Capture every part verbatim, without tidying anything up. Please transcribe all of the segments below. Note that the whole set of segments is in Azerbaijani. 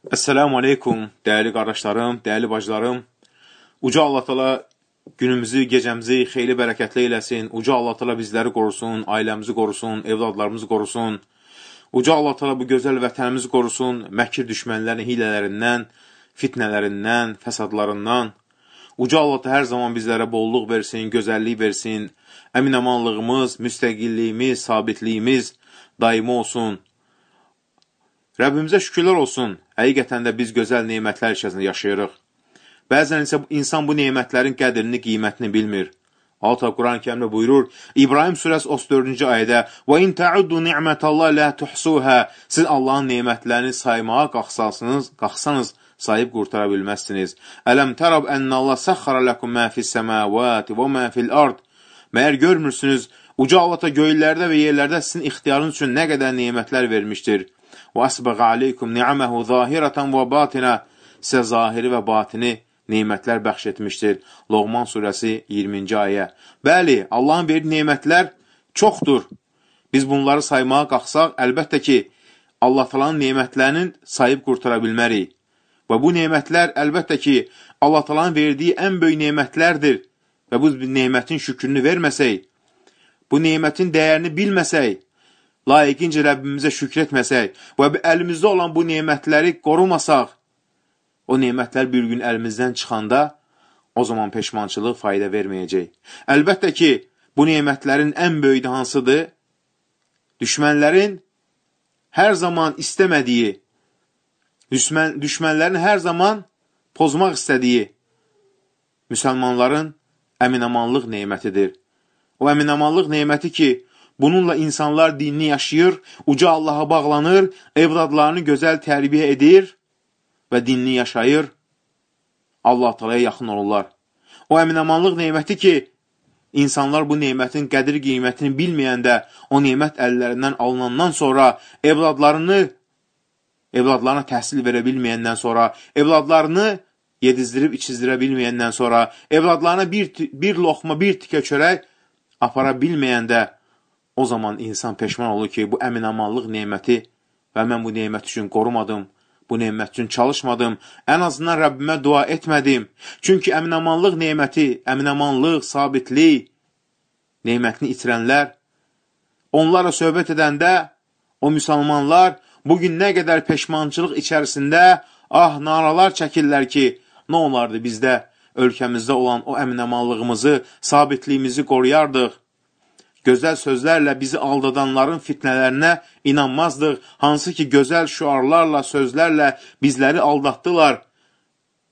Esselamu aleykum, değerli qardaşlarım, değerli bacılarım. Uca Allah Teala günümüzü, gecəmizi xeyli bərəkətli eləsin. Uca Allah Teala bizləri qorusun, ailəmizi qorusun, evladlarımızı qorusun. Uca Allah Teala bu gözəl vətənimizi qorusun, məkir düşmənlərin hilələrindən, fitnələrindən, fəsadlarından. Uca Allah Teala hər zaman bizlərə bolluq versin, gözəllik versin. Əmin-amanlığımız, müstəqilliyimiz, sabitliyimiz daimi olsun. Rəbbimizə şükürlər olsun, həqiqətən də biz gözəl neymətlər içərisində yaşayırıq. Bəzən isə insan bu neymətlərin qədrini, qiymətini bilmir. Allah Quran-ı Kərimdə buyurur, İbrahim surəsi otuz dördüncü ayədə وَاِنْ تَعُدُّ نِعْمَةَ اللّٰهِ لَا تُحْسُوهَا Siz Allahın neymətlərini saymağa qalxsanız, qalxsanız sayıb qurtara bilməzsiniz. Ələm tərab ənnə Allah səxxara ləkum mə fis-səməvati və mə fil-ard Məyər görmürsünüz, uca Allah göylərdə və yerlərdə sizin ixtiyarınız üçün nə qədər neymətlər vermişdir. وَأَسْبَغَ عَلَيْكُمْ نِعَمَهُ ظَاهِرَةً وَبَاطِنًا Sizə zahiri və batini neymətlər bəxş etmişdir. Loğman surəsi iyirminci ayə. Bəli, Allahın verdiyi neymətlər çoxdur. Biz bunları saymağa qalxsaq, əlbəttə ki, Allah Taala'nın neymətlərinin sayıb qurtara bilmərik. Və bu neymətlər əlbəttə ki, Allah Taala'nın verdiyi ən böyük neymətlərdir. Və bu neymətin şükrünü verməsək, bu neymətin dəyərini bilməsək, layiqincə Rəbbimizə şükür etməsək və əlimizdə olan bu neymətləri qorumasaq, o neymətlər bir gün əlimizdən çıxanda, o zaman peşmançılıq fayda verməyəcək. Əlbəttə ki, bu neymətlərin ən böyüyü hansıdır? Düşmənlərin hər zaman istəmədiyi, düşmən, düşmənlərin hər zaman pozmaq istədiyi müsəlmanların əminamanlıq neymətidir. O əminamanlıq neyməti ki, bununla insanlar dinini yaşayır, uca Allaha bağlanır, evladlarını gözəl tərbiyə edir və dinini yaşayır, Allah Taala'ya yaxın olurlar. O əminamanlıq neyməti ki, insanlar bu neymətin qədir qiymətini bilməyəndə, o neymət əllərindən alınandan sonra, evladlarını, evladlarına təhsil verə bilməyəndən sonra, evladlarını yedizdirib içizdirə bilməyəndən sonra, evladlarına bir, bir loxma, bir tikə çörək apara bilməyəndə, o zaman insan peşman olur ki, bu əminamanlıq neyməti və mən bu neymət üçün qorumadım, bu neymət üçün çalışmadım, ən azından Rəbbimə dua etmədim. Çünki əminamanlıq neyməti, əminamanlıq, sabitlik neymətini itirənlər, onlarla söhbət edəndə, o müsəlmanlar bugün nə qədər peşmançılıq içərisində, ah, naralar çəkirlər ki, nə olardı bizdə, ölkəmizdə olan o əminamanlığımızı, sabitliyimizi qoruyardıq. Gözəl sözlərlə bizi aldadanların fitnələrinə inanmazdıq. Hansı ki, gözəl şüarlarla, sözlərlə bizləri aldatdılar.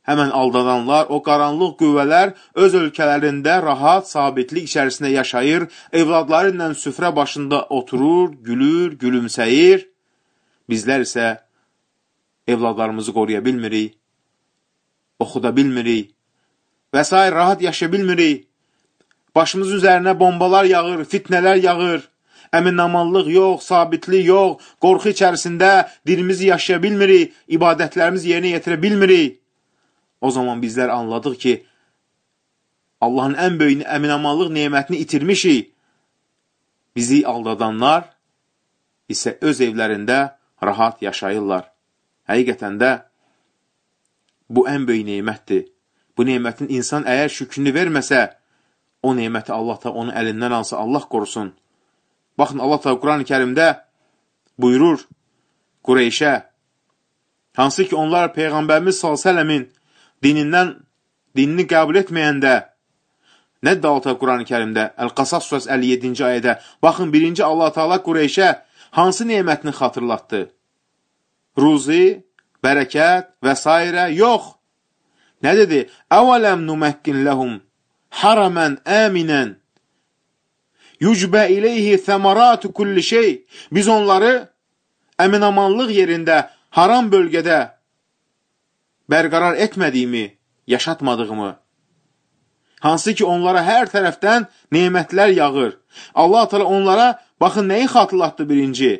Həmən aldadanlar, o qaranlıq qüvvələr öz ölkələrində rahat, sabitlik içərisində yaşayır, evladları ilə süfrə başında oturur, gülür, gülümsəyir. Bizlər isə evladlarımızı qoruya bilmirik, oxuda bilmirik və s. rahat yaşaya bilmirik. Başımız üzərinə bombalar yağır, fitnələr yağır, əminamanlıq yox, sabitlik yox, qorxu içərisində dilimizi yaşaya bilmirik, ibadətlərimizi yerinə yetirə bilmirik. O zaman bizlər anladıq ki, Allahın ən böyük əminamanlıq neymətini itirmişik. Bizi aldadanlar isə öz evlərində rahat yaşayırlar. Həqiqətən də bu ən böyük neymətdir. Bu neymətin insan əgər şükrünü verməsə, o neyməti Allah da onun əlindən alsa, Allah qorusun. Baxın, Allah da Quran-ı Kərimdə buyurur Qureyşə, hansı ki onlar Peyğəmbərimiz sallallahu əleyhi və səlləmin dinindən, dinini qəbul etməyəndə, nədir Allah Quran-ı Kərimdə? Əl-Qasas surəsi əlli yeddinci ayədə, baxın, birinci Allah Teala Qureyşə hansı neymətini xatırlatdı? Ruzi, bərəkət və s. yox. Nə dedi? Əvələm numəkkin ləhum haramən əminən yücbə iləyhi thəmaratu kulli şey. Biz onları əminamanlıq yerində, haram bölgədə bərqərar etmədiyimi, yaşatmadığımı, hansı ki onlara hər tərəfdən neymətlər yağır. Allah Teala onlara, baxın, nəyi xatırlatdı birinci?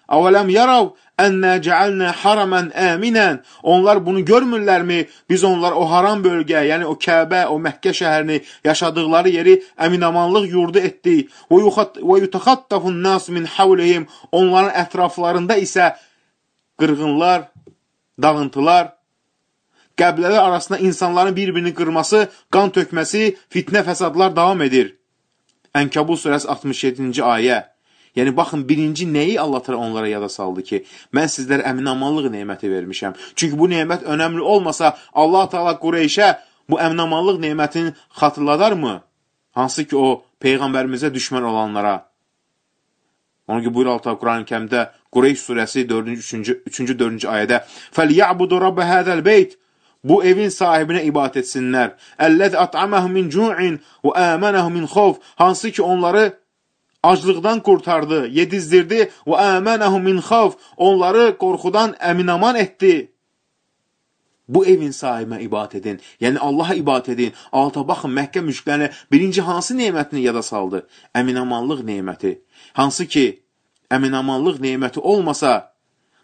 Əvələm yarav ənnə cəalnə haramən əminən. Onlar bunu görmürlərmi? Biz onlar o haram bölgə, yəni o Kəbə, o Məkkə şəhərini, yaşadıqları yeri əminamanlıq yurdu etdik. Və yutəxattafun nas min havlihim. Onların ətraflarında isə qırğınlar dağıntılar, qəbilələr arasında insanların bir-birini qırması, qan tökməsi, fitnə fəsadlar davam edir. Ənkəbut surəsi altmış yeddinci ayə. Yəni, baxın, birinci nəyi Allah təala onlara yada saldı ki, mən sizlərə əminamanlıq neməti vermişəm. Çünki bu nemət önəmli olmasa, Allah təala Qureyşə bu əminamanlıq nemətini xatırladarmı? Hansı ki, o, Peyğəmbərimizə düşmən olanlara. Onun ki, buyur Allah Quran-ı Kərimdə Qureyş surəsi üçüncü dördüncü ayədə فَلْيَعْبُدُ رَبَّ هَذَا الْبَيْتِ Bu evin sahibinə ibadət etsinlər. Əl-ləzi at'aməhum min cu'in və əmənəhum min xawf. Hansı ki onları aclıqdan qurtardı, yedizdirdi və əmənəhum min xawf. Onları qorxudan əminaman etdi. Bu evin sahibinə ibadət edin. Yəni Allaha ibadət edin. Alta baxın, Məkkə müşriklərinə birinci hansı nemətini yada saldı? Əminamanlıq neməti. Hansı ki əminamanlıq neməti olmasa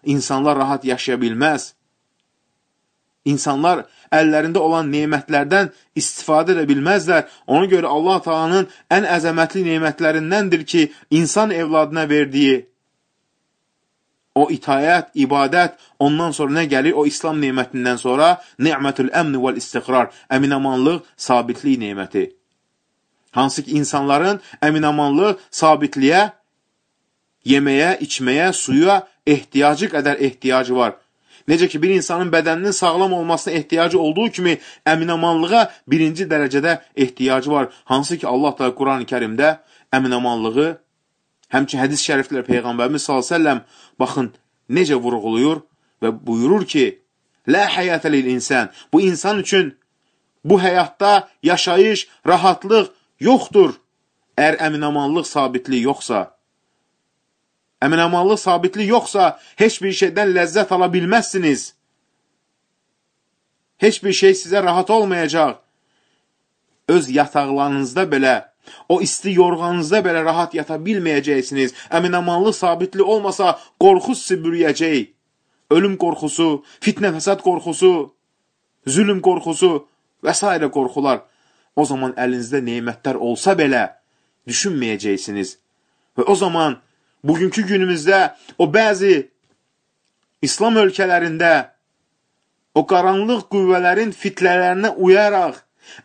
insanlar rahat yaşaya bilməz. İnsanlar əllərində olan nemətlərdən istifadə edə bilməzlər. Ona görə Allah Taala'nın ən əzəmətli nemətlərindəndir ki, insan evladına verdiyi o itayət, ibadət, ondan sonra nə gəlir? O İslam nemətindən sonra ni'mətül əmn vəl istiqrar, əminamanlıq, sabitlik neməti. Hansı ki, insanların əminamanlıq, sabitliyə, yeməyə, içməyə, suya ehtiyacı qədər ehtiyacı var. Necə ki, bir insanın bədəninin sağlam olmasına ehtiyacı olduğu kimi, əminamanlığa birinci dərəcədə ehtiyacı var. Hansı ki, Allah da Quran-ı Kərimdə əminamanlığı, həmçin hədis şəriflər Peyğəmbərimiz sallallahu əleyhi və səlləm, baxın, necə vurğuluyur və buyurur ki, Lə həyətə lil insan. Bu insan üçün bu həyatda yaşayış, rahatlıq yoxdur. Əgər əminamanlıq, sabitlik yoxsa, əminamanlıq, sabitlik yoxsa, heç bir şeydən ləzzət ala bilməzsiniz. Heç bir şey sizə rahat olmayacaq. Öz yataqlarınızda belə, o isti yorğanınızda belə rahat yata bilməyəcəksiniz. Əminamanlıq, sabitlik olmasa, qorxu sizi bürüyəcək. Ölüm qorxusu, fitnə fəsad qorxusu, zülüm qorxusu və s. qorxular. O zaman əlinizdə nemətlər olsa belə düşünməyəcəksiniz. Və o zaman bugünkü günümüzdə o bəzi İslam ölkələrində o qaranlıq qüvvələrin fitnələrinə uyaraq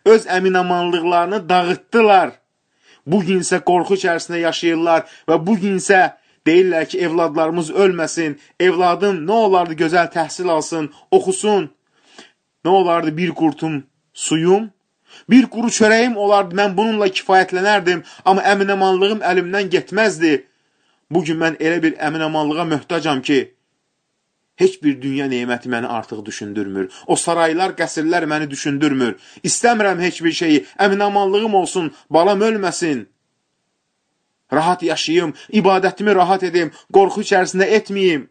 öz əminamanlıqlarını dağıtdılar. Bugünsə qorxu içərisində yaşayırlar və bugünsə deyirlər ki, evladlarımız ölməsin, evladım nə olardı gözəl təhsil alsın, oxusun, nə olardı bir qurtum suyum, bir quru çörəyim olardı, mən bununla kifayətlənərdim, amma əminamanlığım əlimdən getməzdi. Bugün mən elə bir əminamanlığa möhtacam ki, heç bir dünya neməti məni artıq düşündürmür. O saraylar, qəsrlər məni düşündürmür. İstəmirəm heç bir şeyi, əminamanlığım olsun, balam ölməsin. Rahat yaşayım, ibadətimi rahat edim, qorxu içərisində etməyim.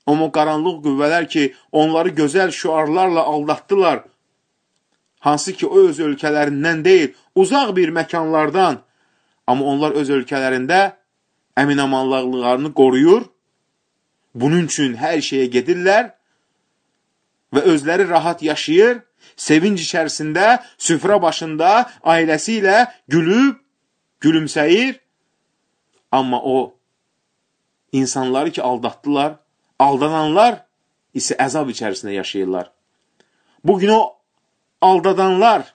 Amma qaranlıq qüvvələr ki, onları gözəl şüarlarla aldatdılar. Hansı ki, o öz ölkələrindən deyil, uzaq bir məkanlardan. Amma onlar öz ölkələrində əminamanlıqlarını qoruyur. Bunun üçün hər şeyə gedirlər və özləri rahat yaşayır, sevinç içərisində, süfrə başında, ailəsi ilə gülüb, gülümsəyir. Amma o insanları ki aldatdılar, aldananlar isə əzab içərisində yaşayırlar. Bugün o aldadanlar,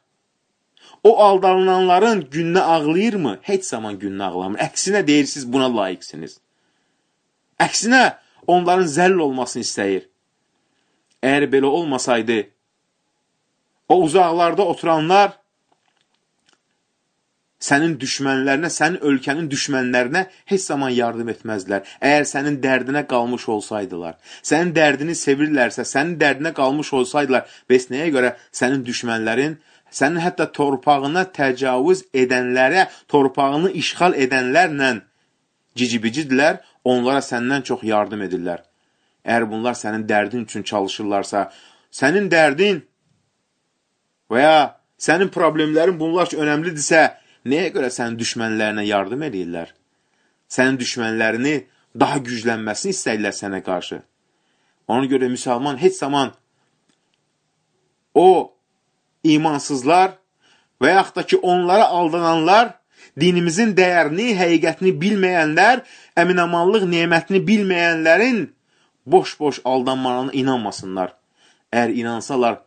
o aldananların gününə ağlayırmı? Heç zaman gününə ağlamır. Əksinə deyir, siz buna layiqsiniz. Əksinə onların zəll olmasını istəyir. Əgər belə olmasaydı, o uzaqlarda oturanlar sənin düşmənlərinə, sənin ölkənin düşmənlərinə heç zaman yardım etməzdilər. Əgər sənin dərdinə qalmış olsaydılar, sənin dərdini sevirlərsə, sənin dərdinə qalmış olsaydılar, bəs nəyə görə sənin düşmənlərin, sənin hətta torpağına təcavüz edənlərə, torpağını işğal edənlərlə cicibicidirlər, onlara səndən çox yardım edirlər. Əgər bunlar sənin dərdin üçün çalışırlarsa, sənin dərdin və ya sənin problemlərin bunlar üçün önəmlidirsə, nəyə görə sənin düşmənlərinə yardım edirlər? Sənin düşmənlərini daha güclənməsini istəyirlər sənə qarşı. Ona görə müsəlman heç zaman o imansızlar və yaxud da ki, onlara aldananlar, dinimizin dəyərini, həqiqətini bilməyənlər, əminamanlıq nemətini bilməyənlərin boş-boş aldanmalarına inanmasınlar. Əgər inansalar,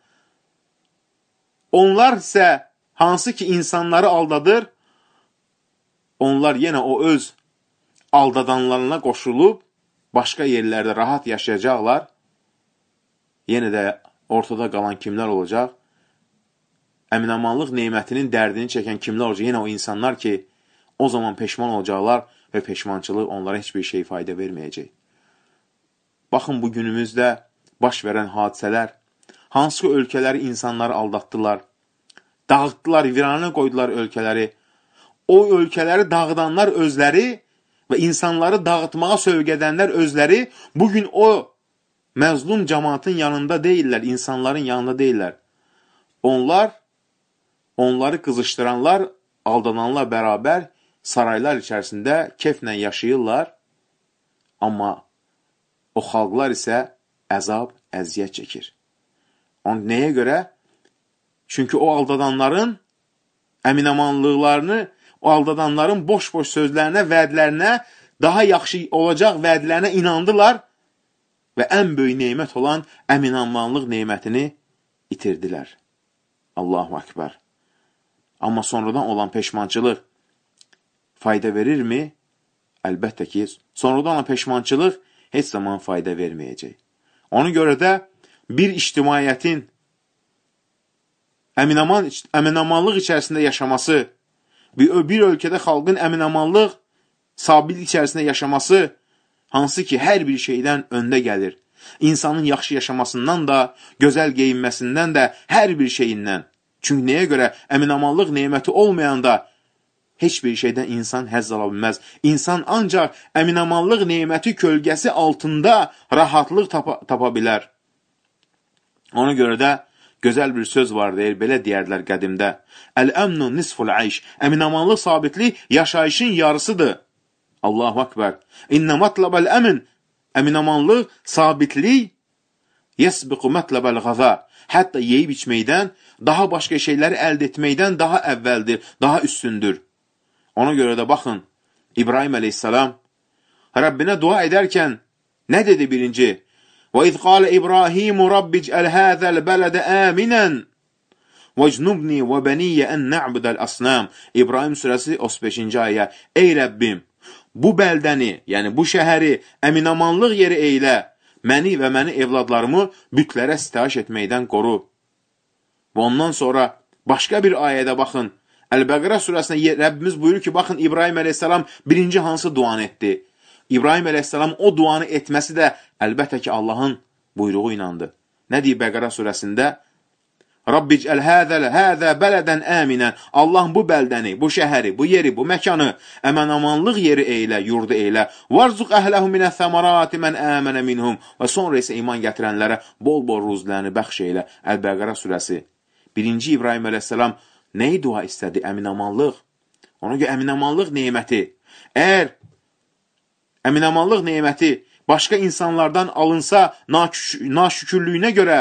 onlar isə hansı ki insanları aldadır, onlar yenə o öz aldadanlarına qoşulub, başqa yerlərdə rahat yaşayacaqlar. Yenə də ortada qalan kimlər olacaq? Əminamanlıq neymətinin dərdini çəkən kimlər olacaq? Yenə o insanlar ki, o zaman peşman olacaqlar və peşmançılıq onlara heç bir şey fayda verməyəcək. Baxın, bu günümüzdə baş verən hadisələr, hansı ki ölkələri insanları aldatdılar, dağıtdılar, viranə qoydular ölkələri. O ölkələri dağıdanlar özləri və insanları dağıtmağa sövq edənlər özləri bugün o məzlum cəmaatın yanında deyirlər, insanların yanında deyirlər. Onlar, onları qızışdıranlar, aldananlar bərabər saraylar içərisində keflə yaşayırlar, amma o xalqlar isə əzab, əziyyət çəkir. Onun nəyə görə? Çünki o aldadanların əminamanlıqlarını, o aldadanların boş-boş sözlərinə, vədlərinə, daha yaxşı olacaq vədlərinə inandılar və ən böyük neymət olan əminamanlıq neymətini itirdilər. Allahu Akbar. Amma sonradan olan peşmançılıq fayda verirmi? Əlbəttə ki, sonradan olan peşmançılıq heç zaman fayda verməyəcək. Ona görə də bir ictimaiyyətin əminaman, əminamanlıq içərisində yaşaması, bir, bir ölkədə xalqın əminamanlıq sabitlik içərisində yaşaması, hansı ki, hər bir şeydən öndə gəlir. İnsanın yaxşı yaşamasından da, gözəl geyinməsindən də, hər bir şeyindən. Çünki nəyə görə? Əminamanlıq neyməti olmayanda heç bir şeydən insan həzz ala bilməz. İnsan ancaq əminamanlıq neyməti kölgəsi altında rahatlıq tapa, tapa bilər. Ona görə də gözəl bir söz var deyir, belə deyərlər qədimdə. Əl-əmnu nisful ayş. Əminamanlıq sabitlik yaşayışın yarısıdır. Allahu Akbar. İnnə matlabəl əmin. Əminamanlıq, sabitlik yəsbiqu matlabəl qaza. Hətta yeyib içməkdən, daha başqa şeyləri əldə etməkdən daha əvvəldir, daha üstündür. Ona görə də baxın, İbrahim əleyhissalam Rəbbinə dua edərkən nə dedi birinci? وَإِذْ قَالَ إِبْرَاهِيمُ رَبِّ اجْعَلْ هَذَا الْبَلَدَ آمِنًا وَاجْنُبْنِي وَبَنِيَّ أَنْ نَعْبُدَ الْأَصْنَامِ İbrahim surəsi otuz beşinci ayə. Ey Rəbbim, bu bəldəni, yəni bu şəhəri əminamanlıq yeri eylə, məni və məni evladlarımı bütlərə sitayiş etməkdən qoru. Və ondan sonra başqa bir ayədə baxın, Əl-Bəqərə surəsində Rəbbimiz buyurur ki, baxın, İbrahim əleyhissalam birinci hansı duanı etdi? İbrahim əleyhissalam o duanı etməsi də əlbəttə ki, Allahın buyruğu inandı. Nə deyir Bəqərə surəsində? Rabbicəl həzəl həzə bələdən əminən. Allah bu bəldəni, bu şəhəri, bu yeri, bu məkanı əmənamanlıq yeri eylə, yurdu eylə. Varzuq əhləhu minə thəmarati mən əmənə minhum. Və sonra isə iman gətirənlərə bol-bol ruzlərini bəxş eylə. Əl-Bəqərə surəsi. Birinci İbrahim əleyhissalam nəyi dua istədi? Əminamanlıq. Ona görə əminamanlıq neyməti. Əgər əminamanlıq neyməti başqa insanlardan alınsa naşükürlüyünə görə,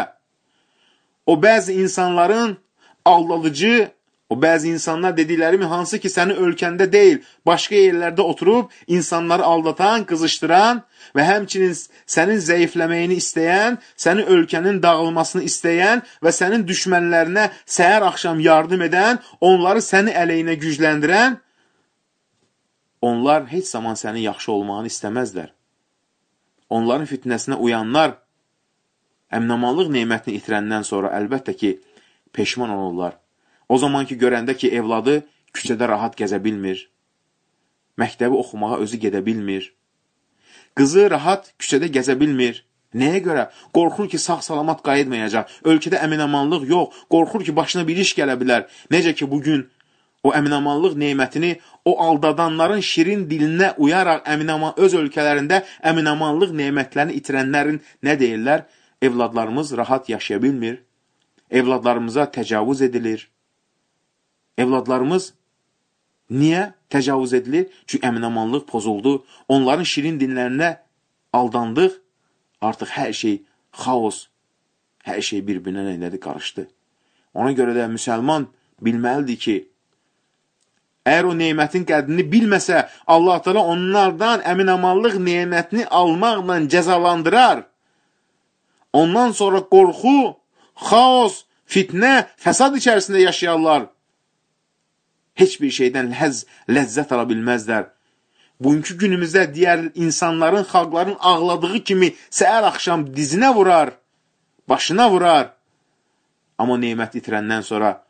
o bəzi insanların aldadıcı, o bəzi insanlar dediklərimi hansı ki, sənin ölkəndə deyil, başqa yerlərdə oturub, insanları aldatan, qızışdıran və həmçinin sənin zəifləməyini istəyən, sənin ölkənin dağılmasını istəyən və sənin düşmənlərinə səhər axşam yardım edən, onları səni əleyhinə gücləndirən, onlar heç zaman sənin yaxşı olmağını istəməzlər. Onların fitnəsinə uyanlar, əminamanlıq neymətini itirəndən sonra əlbəttə ki, peşman olurlar. O zaman ki, görəndə ki, evladı küçədə rahat gəzə bilmir, məktəbi oxumağa özü gedə bilmir, qızı rahat küçədə gəzə bilmir. Nəyə görə? Qorxur ki, sağ-salamat qayıtmayacaq, ölkədə əminamanlıq yox, qorxur ki, başına bir iş gələ bilər. Necə ki, bugün o əminamanlıq neymətini o aldadanların şirin dilinə uyaraq əminaman, öz ölkələrində əminamanlıq neymətlərini itirənlərin nə deyirlər? Evladlarımız rahat yaşaya bilmir, evladlarımıza təcavüz edilir. Evladlarımız niyə təcavüz edilir? Çünki əminamanlıq pozuldu, onların şirin dinlərinə aldandıq, artıq hər şey xaos, hər şey bir-birinə nədir qarışdı. Ona görə də müsəlman bilməlidir ki, Əgər o nemətin qədrini bilməsə, Allah Teala onlardan əminamanlıq nemətini almaqla cəzalandırar. Ondan sonra qorxu, xaos, fitnə, fəsad içərisində yaşayarlar. Heç bir şeydən ləz, ləzzət ala bilməzlər. Bugünkü günümüzdə digər insanların, xalqların ağladığı kimi səhər axşam dizinə vurar, başına vurar. Amma nemət itirəndən sonra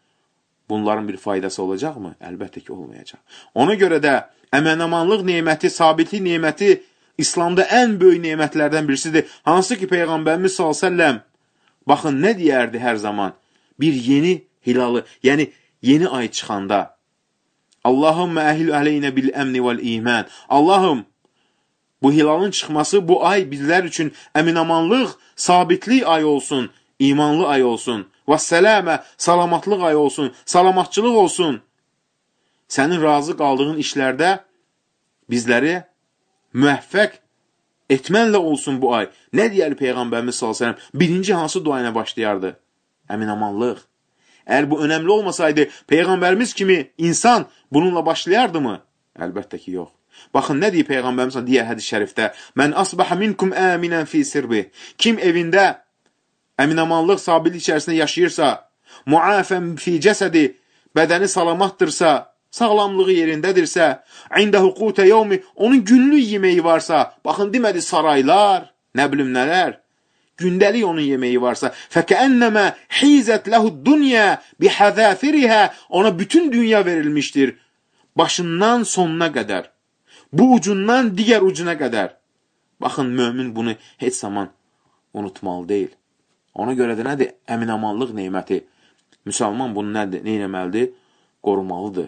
bunların bir faydası olacaqmı? Əlbəttə ki, olmayacaq. Ona görə də əmənamanlıq neməti, sabitlik neməti İslamda ən böyük nemətlərdən birisidir. Hansı ki, Peyğəmbərimiz sallallahu əleyhi və səlləm baxın, nə deyərdi hər zaman? Bir yeni hilalı, yəni yeni ay çıxanda Allahümmə əhil ələynə bil əmni vəl iman. Allahım, bu hilalın çıxması bu ay bizlər üçün əminamanlıq, sabitlik ay olsun, imanlı ay olsun. Və sələmə, salamatlıq ay olsun, salamatçılıq olsun. Sənin razı qaldığın işlərdə bizləri müvəffəq etmənlə olsun bu ay. Nə deyər Peyğəmbərimiz sallallahu əleyhi və səlləm? Birinci hansı dua ilə başlayardı? Əminamanlıq. Əgər bu önəmli olmasaydı, Peyğəmbərimiz kimi insan bununla başlayardı mı? Əlbəttə ki, yox. Baxın, nə deyir Peyğəmbərimiz digər hədis şərifdə? Mən asbaha minkum əminən fi sirbi. Kim evində əminamanlıq, sabitlik içərisində yaşayırsa, muafən fi cəsədi, bədəni salamatdırsa, sağlamlığı yerindədirsə, ində hüqutə yevmi, onun günlük yeməyi varsa, baxın, demədi saraylar, nə bilim nələr, gündəlik onun yeməyi varsa, fəkəənnəmə hizət ləhud dünya bihəzəfirihə, ona bütün dünya verilmişdir, başından sonuna qədər, bu ucundan digər ucuna qədər. Baxın, mömin bunu heç zaman unutmalı deyil. Ona görə də nədir? Əminamanlıq neməti. Müsəlman bunu nədir? Nə eləməlidir? Qorumalıdır.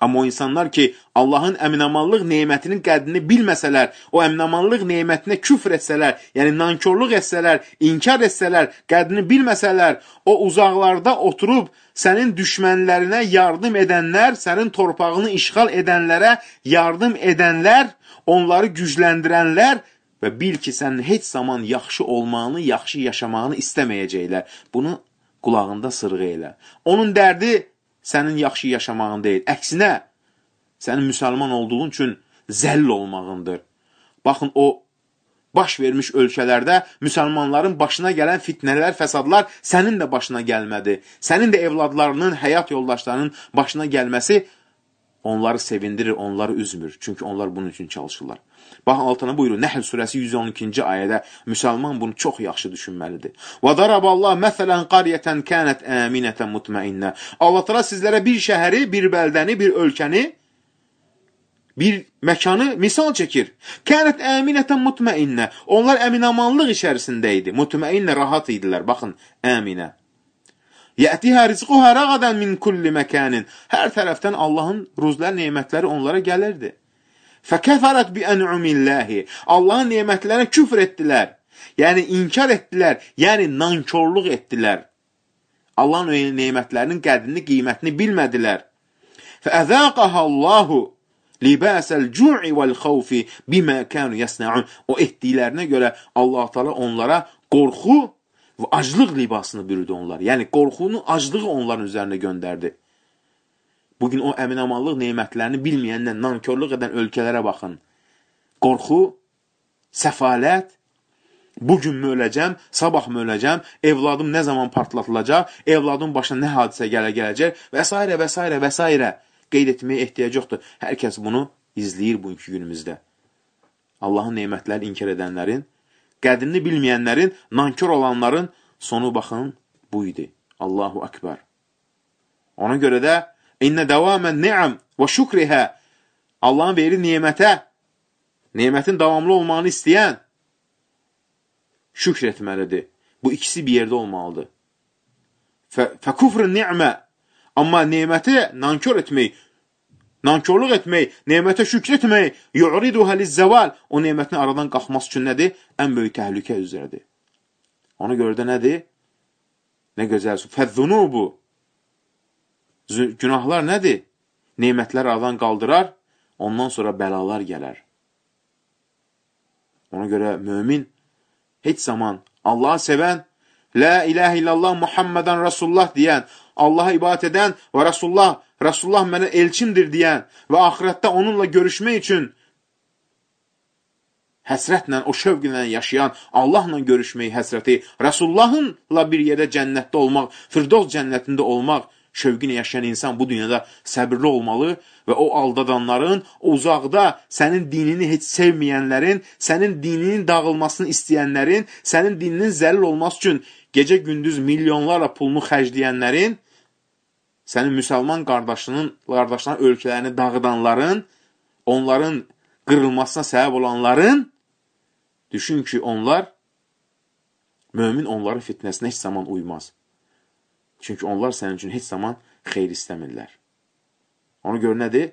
Amma o insanlar ki, Allahın əminamanlıq nemətinin qədrini bilməsələr, o əminamanlıq nemətinə küfr etsələr, yəni nankörlük etsələr, inkar etsələr, qədrini bilməsələr, o uzaqlarda oturub sənin düşmənlərinə yardım edənlər, sənin torpağını işğal edənlərə yardım edənlər, onları gücləndirənlər və bil ki, sən heç zaman yaxşı olmağını, yaxşı yaşamağını istəməyəcəklər. Bunu qulağında sırğı elə. Onun dərdi sənin yaxşı yaşamağın deyil. Əksinə, sənin müsəlman olduğun üçün zəll olmağındır. Baxın, o baş vermiş ölkələrdə müsəlmanların başına gələn fitnələr, fəsadlar sənin də başına gəlmədi. Sənin də evladlarının, həyat yoldaşlarının başına gəlməsi onları sevindirir, onları üzmür. Çünki onlar bunun üçün çalışırlar. Baxın, altına buyurur, Nəhl surəsi yüz on ikinci ayədə müsəlman bunu çox yaxşı düşünməlidir. وَضَرَبَ اللّٰهِ مَثَلًا قَرْيَةً كَانَتْ آمِنَةً مُطْمَئِنَّةً Allah Teala sizlərə bir şəhəri, bir bəldəni, bir ölkəni, bir məkanı misal çəkir. Kənət əminətən mutmainnə. Onlar əminamanlıq içərisində idi. Mutmainnə rahat idilər. Baxın, əminə. Yətihə rizquhə rəqadən min kulli məkanin. Hər tərəfdən Allahın ruzlər, nemətləri onlara gəlirdi. Fəkəfərət bi ən'umilləhi. Allahın nemətlərinə küfr etdilər. Yəni, inkar etdilər. Yəni, nankörlük etdilər. Allahın nemətlərinin qədrini, qiymətini bilmədilər. Fəəzəqəhə Allahu libasəl cu'i vəl-xavfi bimə kənu yəsnəun. O etdiklərinə görə Allah Teala onlara qorxu və aclıq libasını bürüdü onlar. Yəni, qorxunun aclığı onların üzərinə göndərdi. Bugün o əminamanlıq nemətlərini bilməyənlə nankörlük edən ölkələrə baxın. Qorxu, səfalət, bugün mü öləcəm, sabah mı öləcəm, evladım nə zaman partlatılacaq, evladım başına nə hadisə gələ gələcək və s. və s. və s. Qeyd etməyə ehtiyac yoxdur. Hər kəs bunu izləyir bugünkü günümüzdə. Allahın nemətləri inkar edənlərin, qədrini bilməyənlərin, nankör olanların sonu baxın bu idi. Allahu Akbar. Ona görə də İnnə dəvamən ni'am və şükrihə. Allahın verir nemətə, nemətin davamlı olmağını istəyən şükr etməlidir. Bu ikisi bir yerdə olmalıdır. Fəkufrun ni'mə. Amma neməti nankör etmək, nankörlük etmək, nemətə şükr etmək, yu'riduhə lizzəval, o nemətin aradan qalxması üçün nədir? Ən böyük təhlükə üzrədir. Ona görə də nədir? Nə gözəl su. Fəzzunubu. Günahlar nədir? Nemətlər aradan qaldırar, ondan sonra bəlalar gələr. Ona görə mömin heç zaman Allahı sevən, La ilahə illallah Muhammedən Rasulullah deyən, Allaha ibadət edən və Rasulullah, Rasulullah mənə elçimdir deyən və axirətdə onunla görüşmək üçün həsrətlə, o şövqlə yaşayan, Allahla görüşməyi həsrəti, Rasulullahınla bir yerdə cənnətdə olmaq, Firdovs cənnətində olmaq şövqünə yaşayan insan bu dünyada səbirli olmalı və o aldadanların, uzaqda sənin dinini heç sevməyənlərin, sənin dininin dağılmasını istəyənlərin, sənin dininin zəlil olması üçün gecə-gündüz milyonlarla pulunu xərcləyənlərin, sənin müsəlman qardaşının, qardaşların ölkələrini dağıdanların, onların qırılmasına səbəb olanların, düşün ki, onlar, mömin onların fitnəsinə heç zaman uymaz. Çünki onlar sənin üçün heç zaman xeyr istəmirlər. Ona görə nədir?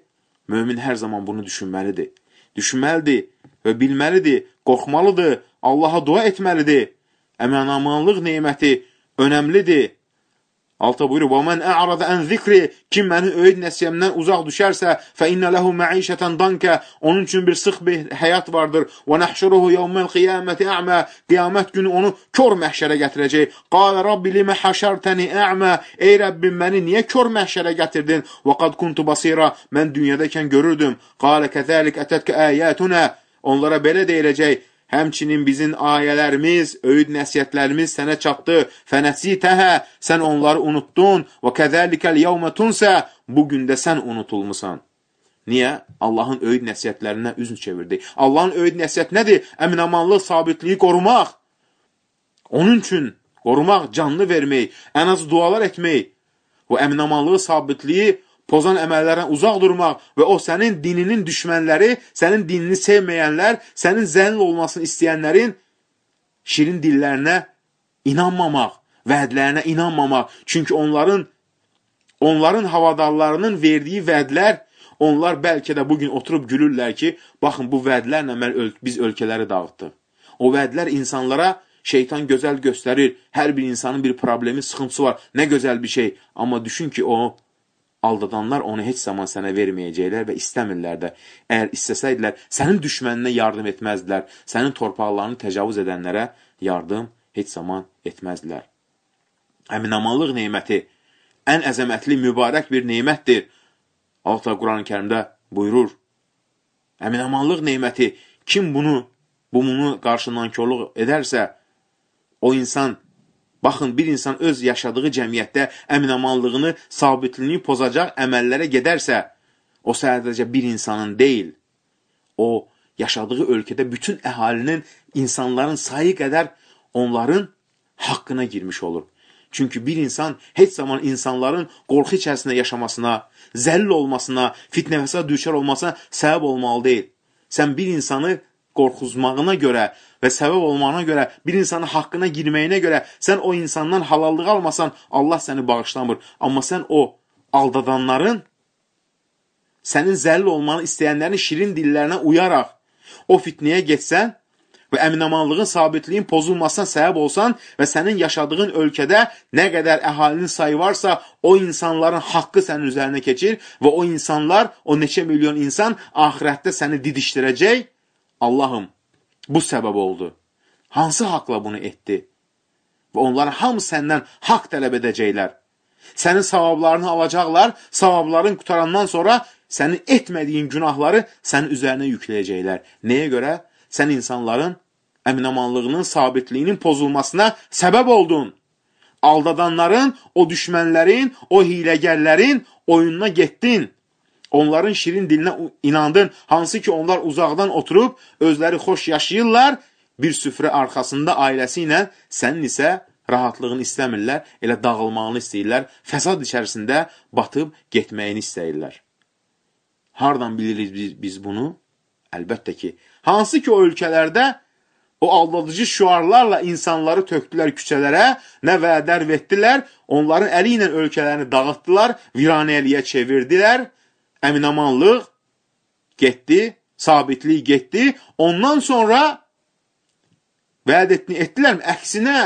Mömin hər zaman bunu düşünməlidir. Düşünməlidir və bilməlidir, qorxmalıdır, Allaha dua etməlidir. Əminamanlıq neməti önəmlidir. Alta buyurur, وَمَنْ أَعْرَضَ أَنْ ذِكْرِ Kim mənim öyüd nəsiyyəmdən uzaq düşərsə, فَإِنَّ لَهُ مَعِيشَةً دَنْكَ Onun üçün bir sıx bir həyat vardır. وَنَحْشُرُهُ يَوْمَ الْقِيَامَةِ أَعْمَى Qiyamət günü onu kör məhşərə gətirəcək. قَالَ رَبِّ لِمَ حَشَرْتَنِ أَعْمَى Ey Rəbbim, məni niyə kör məhşərə gətirdin? وَقَدْ كُنْتُ بَصِيرًا Mən dünyadakən görürdüm. قَالَ كَذَلِكَ أَتَتْكَ آيَاتُنَا Onlara belə deyiləcək. Həmçinin bizim ayələrimiz, öyüd nəsiyyətlərimiz sənə çatdı. Fənəsitəhə, sən onları unuttun. Və kəzəlikəl yevmə tunsə, bugün də sən unutulmusan. Niyə? Allahın öyüd nəsiyyətlərindən üzün çevirdi. Allahın öyüd nəsiyyət nədir? Əminamanlıq, sabitliyi qorumaq. Onun üçün qorumaq, canlı vermək, ən az dualar etmək. Və əminamanlığı, sabitliyi pozan əməllərdən uzaq durmaq və o sənin dininin düşmənləri, sənin dinini sevməyənlər, sənin zəlil olmasını istəyənlərin şirin dillərinə inanmamaq, vədlərinə inanmamaq. Çünki onların, onların havadarlarının verdiyi vədlər, onlar bəlkə də bugün oturub gülürlər ki, baxın bu vədlərlə öl biz ölkələri dağıtdıq. O vədlər insanlara şeytan gözəl göstərir, hər bir insanın bir problemi, sıxıntısı var, nə gözəl bir şey. Amma düşün ki, o aldadanlar onu heç zaman sənə verməyəcəklər və istəmirlər də. Əgər istəsəydilər, sənin düşməninə yardım etməzdilər, sənin torpaqlarını təcavüz edənlərə yardım heç zaman etməzdilər. Əminamanlıq neyməti ən əzəmətli, mübarək bir neymətdir. Allah Quran-ı Kərimdə buyurur, əminamanlıq neyməti, kim bunu, bunu qarşından körlük edərsə, o insan, baxın, bir insan öz yaşadığı cəmiyyətdə əminamanlığını, sabitliyini pozacaq əməllərə gedərsə, o sadəcə bir insanın deyil, o yaşadığı ölkədə bütün əhalinin, insanların sayı qədər onların haqqına girmiş olur. Çünki bir insan heç zaman insanların qorxu içərisində yaşamasına, zəlil olmasına, fitnəfəsə düşər olmasına səbəb olmalı deyil. Sən bir insanı qorxuzmağına görə və səbəb olmağına görə, bir insanın haqqına girməyinə görə, sən o insandan halallıq almasan, Allah səni bağışlamır. Amma sən o aldadanların, sənin zəlil olmanı istəyənlərin şirin dillərinə uyaraq, o fitnəyə getsən və əminamanlığın, sabitliyin pozulmasına səbəb olsan və sənin yaşadığın ölkədə nə qədər əhalinin sayı varsa, o insanların haqqı sənin üzərinə keçir və o insanlar, o neçə milyon insan axirətdə səni didişdirəcək. Allahım, bu səbəb oldu. Hansı haqla bunu etdi? Və onların hamısı səndən haqq tələb edəcəklər. Sənin savablarını alacaqlar, savabların qutarandan sonra sənin etmədiyin günahları sənin üzərinə yükləyəcəklər. Nəyə görə? Sən insanların əminamanlığının, sabitliyinin pozulmasına səbəb oldun. Aldadanların, o düşmənlərin, o hiləgərlərin oyununa getdin. Onların şirin dilinə inandın, hansı ki onlar uzaqdan oturub, özləri xoş yaşayırlar, bir süfrə arxasında ailəsi ilə, sənin isə rahatlığını istəmirlər, elə dağılmağını istəyirlər, fəsad içərisində batıb getməyini istəyirlər. Hardan bilirik biz, biz bunu? Əlbəttə ki, hansı ki o ölkələrdə o aldadıcı şüarlarla insanları tökdülər küçələrə, nə vədər vetdilər, onların əli ilə ölkələrini dağıtdılar, viranəliyə çevirdilər, əminamanlıq getdi, sabitlik getdi. Ondan sonra vəd etdilər mi? Əksinə,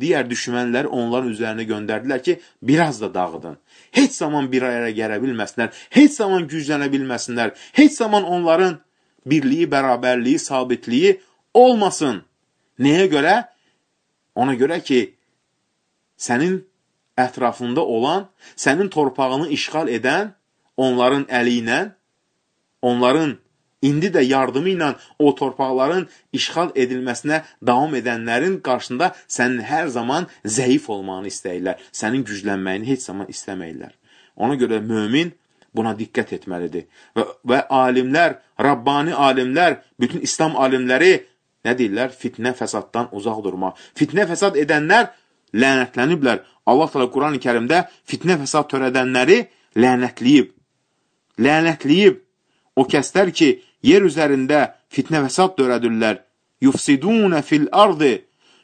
digər düşmənləri onların üzərinə göndərdilər ki, biraz da dağıdın. Heç zaman bir araya gələ bilməsinlər, heç zaman güclənə bilməsinlər, heç zaman onların birliyi, bərabərliyi, sabitliyi olmasın. Nəyə görə? Ona görə ki, sənin ətrafında olan, sənin torpağını işğal edən, onların əli ilə, onların indi də yardımı ilə o torpaqların işğal edilməsinə davam edənlərin qarşısında sənin hər zaman zəif olmağını istəyirlər. Sənin güclənməyini heç zaman istəməyirlər. Ona görə mömin buna diqqət etməlidir. Və, və alimlər, Rabbani alimlər, bütün İslam alimləri nə deyirlər? Fitnə fəsaddan uzaq durmaq. Fitnə fəsad edənlər lənətləniblər. Allah təala Quran-ı Kərimdə fitnə fəsad törədənləri lənətləyib. Lənətləyib. O kəslər ki, yer üzərində fitnə fəsad törədirlər. Yufsidunə fil ardı.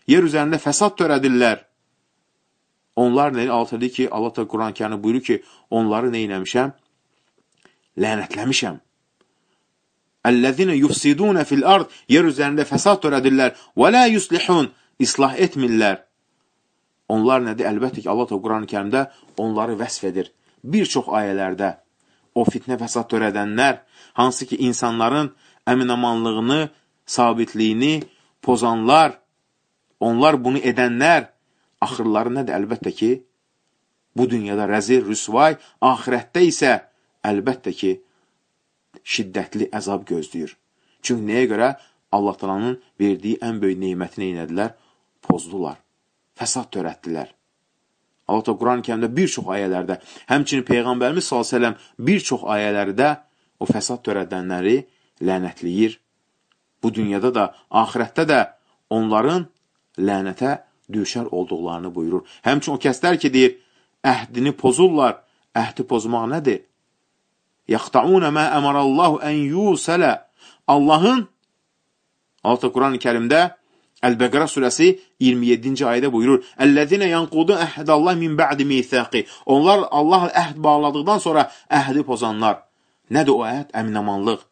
Yer üzərində fəsad törədirlər. Onlar nə altıdır ki, Allah da Quran-ı Kərimdə buyurur ki, onları nə eləmişəm? Lənətləmişəm. Əllezine yufsidunə fil ard. Yer üzərində fəsad törədirlər. Və la yuslihun. İslah etmirlər. Onlar nədir? Əlbəttə ki, Allah da Quran-ı Kərimdə onları vəsf edir. Bir çox ayələrdə o fitnə fəsad törədənlər, hansı ki, insanların əminamanlığını, sabitliyini pozanlar, onlar bunu edənlər, axırları nədir? Əlbəttə ki, bu dünyada rəzil, rüsvay, ahirətdə isə əlbəttə ki, şiddətli əzab gözləyir. Çünki nəyə görə? Allah Taala'nın verdiyi ən böyük neymətini eynədilər, pozdular, fəsad törətdilər. Allah da Quran-ı Kərimdə bir çox ayələrdə, həmçinin Peyğəmbərimiz sallallahu əleyhi və səlləm bir çox ayələrdə o fəsad törədənləri lənətləyir. Bu dünyada da, ahirətdə də onların lənətə düşər olduqlarını buyurur. Həmçinin o kəslər ki, deyir, əhdini pozurlar. Əhdi pozmaq nədir? Yəxtəunə mə əmərəllahu ən yusələ. Allahın, Allah da Quran-ı Kərimdə Əl-Bəqərə surəsi iyirmi yeddinci ayədə buyurur. Əl-ləzinə yanqudu əhdəllah min bə'di mithaqi. Onlar Allah əhd bağladıqdan sonra əhdi pozanlar. Nədir o əhd? Əminamanlıq.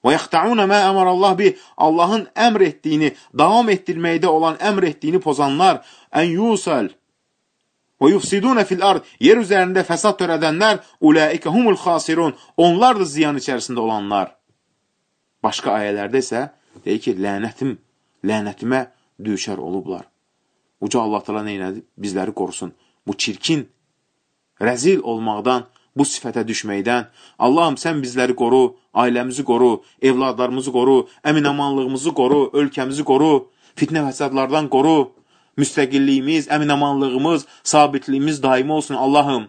Və yəxtəunə mə əmərəllah bi. Allahın əmr etdiyini, davam etdirməkdə olan əmr etdiyini pozanlar. Ən yusəl. Və yufsidunə fil ard. Yer üzərində fəsad törədənlər. Ulaikə humul xasirun. Onlar da ziyan içərisində olanlar. Başqa ayələrdə isə deyir ki, lənətim lənətimə düşər olublar. Uca Allah Teala neynədir? Bizləri qorusun. Bu çirkin, rəzil olmaqdan, bu sifətə düşməkdən. Allahım, sən bizləri qoru, ailəmizi qoru, evladlarımızı qoru, əminamanlığımızı qoru, ölkəmizi qoru, fitnə fəsadlardan qoru, müstəqilliyimiz, əminamanlığımız, sabitliyimiz daimi olsun. Allahım,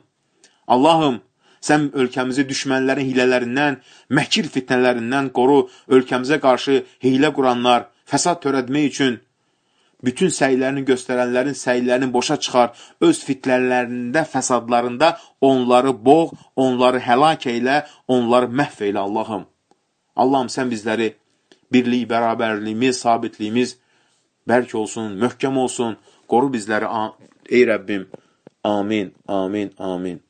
Allahım, sən ölkəmizi düşmənlərin hilələrindən, məkir fitnələrindən qoru, ölkəmizə qarşı hilə quranlar, fəsad törətmək üçün bütün səylərini göstərənlərin səylərini boşa çıxar, öz fitnələrində, fəsadlarında onları boğ, onları həlak eylə, onları məhv eylə Allahım. Allahım, sən bizləri birlik, bərabərliyimiz, sabitliyimiz bərk olsun, möhkəm olsun, qoru bizləri, ey Rəbbim. Amin, amin, amin.